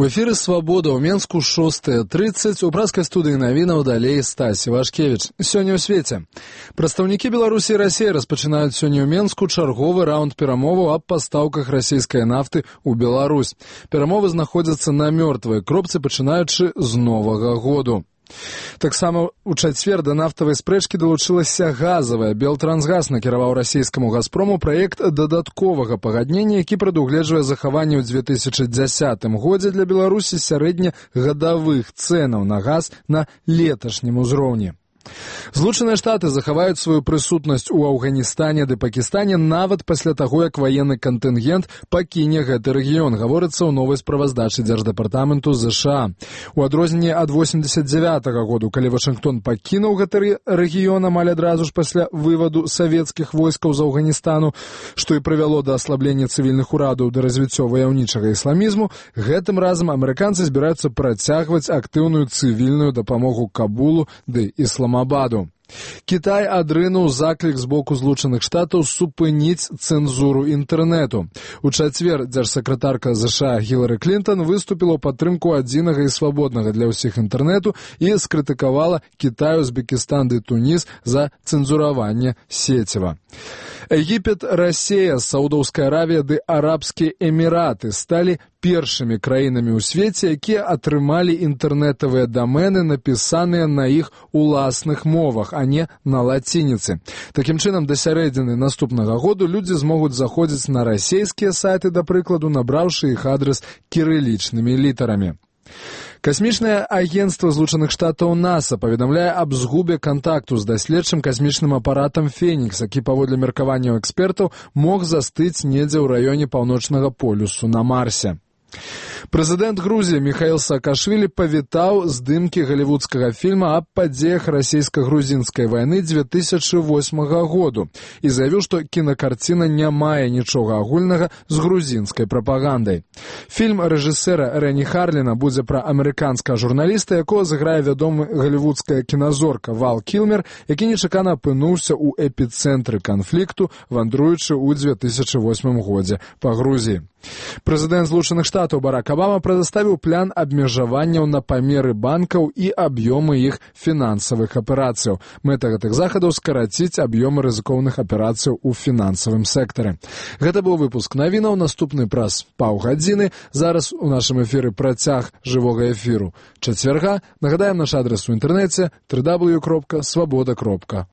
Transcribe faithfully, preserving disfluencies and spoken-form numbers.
У эфіры «Свабода» ў Менску шостая трыццаць, у праскай студыі навінаў далей Стасі Вашкевіч. Сёння ў свеце. Прадстаўнікі Беларусі і Расіі распачынаюць сёння ў Менску чарговы раунд перамоваў аб пастаўках расійскай нафты ў Беларусь. Перамовы знаходзяцца на мёртвай кропцы, пачынаючы з Новага году. Таксама ў чацвер да нафтавай спрэчкі далучылася газавая. Белтрансгаз накіраваў расійскаму «Газпрому» праект дадатковага пагаднення, які прадугледжвае захаванне ў дзве тысячы дзясятым годзе для Беларусі сярэднегадавых цэнаў на газ на леташнім узроўні. Злучаныя Штаты захаваюць сваю прысутнасць у Афганістане ды Пакістане нават пасля таго, як ваенны кантынгент пакіне гэты рэгіён, гаворыцца ў новай справаздачы Дзярждэпартаменту ЗША. У адрозненне ад восемьдесят девятого году, калі Вашынгтон пакінуў гэты рэгіён амаль адразу ж пасля вываду савецкіх войскаў з Афганістана, што і прывяло да аслаблення цывільных урадаў да развіцця ваяўнічага ісламізму, гэтым разам амерыканцы збіраюцца працягваць актыўную цывільную дапамогу Кабулу ды Ісламабаду. Кітай адрынуў заклік з боку Злучаных Штатаў супыніць цэнзуру інтэрнэту. У чацвер дзяржсакратарка ЗША Гілары Клінтон выступіла ў падтрымку адзінага і свабоднага для ўсіх інтэрнэту і скрытыкавала Кітай, Узбекістан ды Туніс за цэнзураванне сеціва. Егіпет, Расія, Саудаўская Аравія ды Арабскія Эміраты сталі першымі краінамі ў свеце, якія атрымалі інтэрнэтавыя дамены, напісаныя на іх уласных мовах, а не на лацініцы. Такім чынам, да сярэдзіны наступнага году людзі змогуць заходзіць на расійскія сайты, да прыкладу, набраўшы іх адрас кірылічнымі літарамі. Касмічнае агенцтва Злучаных Штатаў НАСА паведамляе аб згубе кантакту з даследчым касмічным апаратам «Фенікс», які, паводле меркаванняў экспертаў, мог застыць недзе ў раёне паўночнага полюсу на Марсе. Прэзідэнт Грузіі Міхаіл Саакашвілі павітаў здымкі галівудскага фільма аб падзеях расійска-грузінскай вайны дзве тысячы восьмага году і заявіў, што кінакарціна не мае нічога агульнага з грузінскай прапагандай. Фільм рэжысэра Рэні Харліна будзе пра амерыканскага журналіста, якога зыграе вядомы галівудская кіназорка Вал Кілмер, які нечакана апынуўся ў эпіцэнтры канфлікту, вандруючы ў дзве тысячы восьмым годзе па Грузіі. Прэзідэнт Злучаных Штатаў Барак Абама прадставіў план абмежаванняў на памеры банкаў і аб'ёмы іх фінансавых аперацыяў. Мэта гэтых захадаў скараціць аб'ёмы рызыкоўных аперацыяў у фінансавым сектары. Гэта быў выпуск навінаў, наступны праз паўгадзіны. Зараз у нашым эфіры працяг жывога эфіру чацвярга. Нагадаем наш адрес у інтэрнэце дабл ю дабл ю дабл ю кропка свабода кропка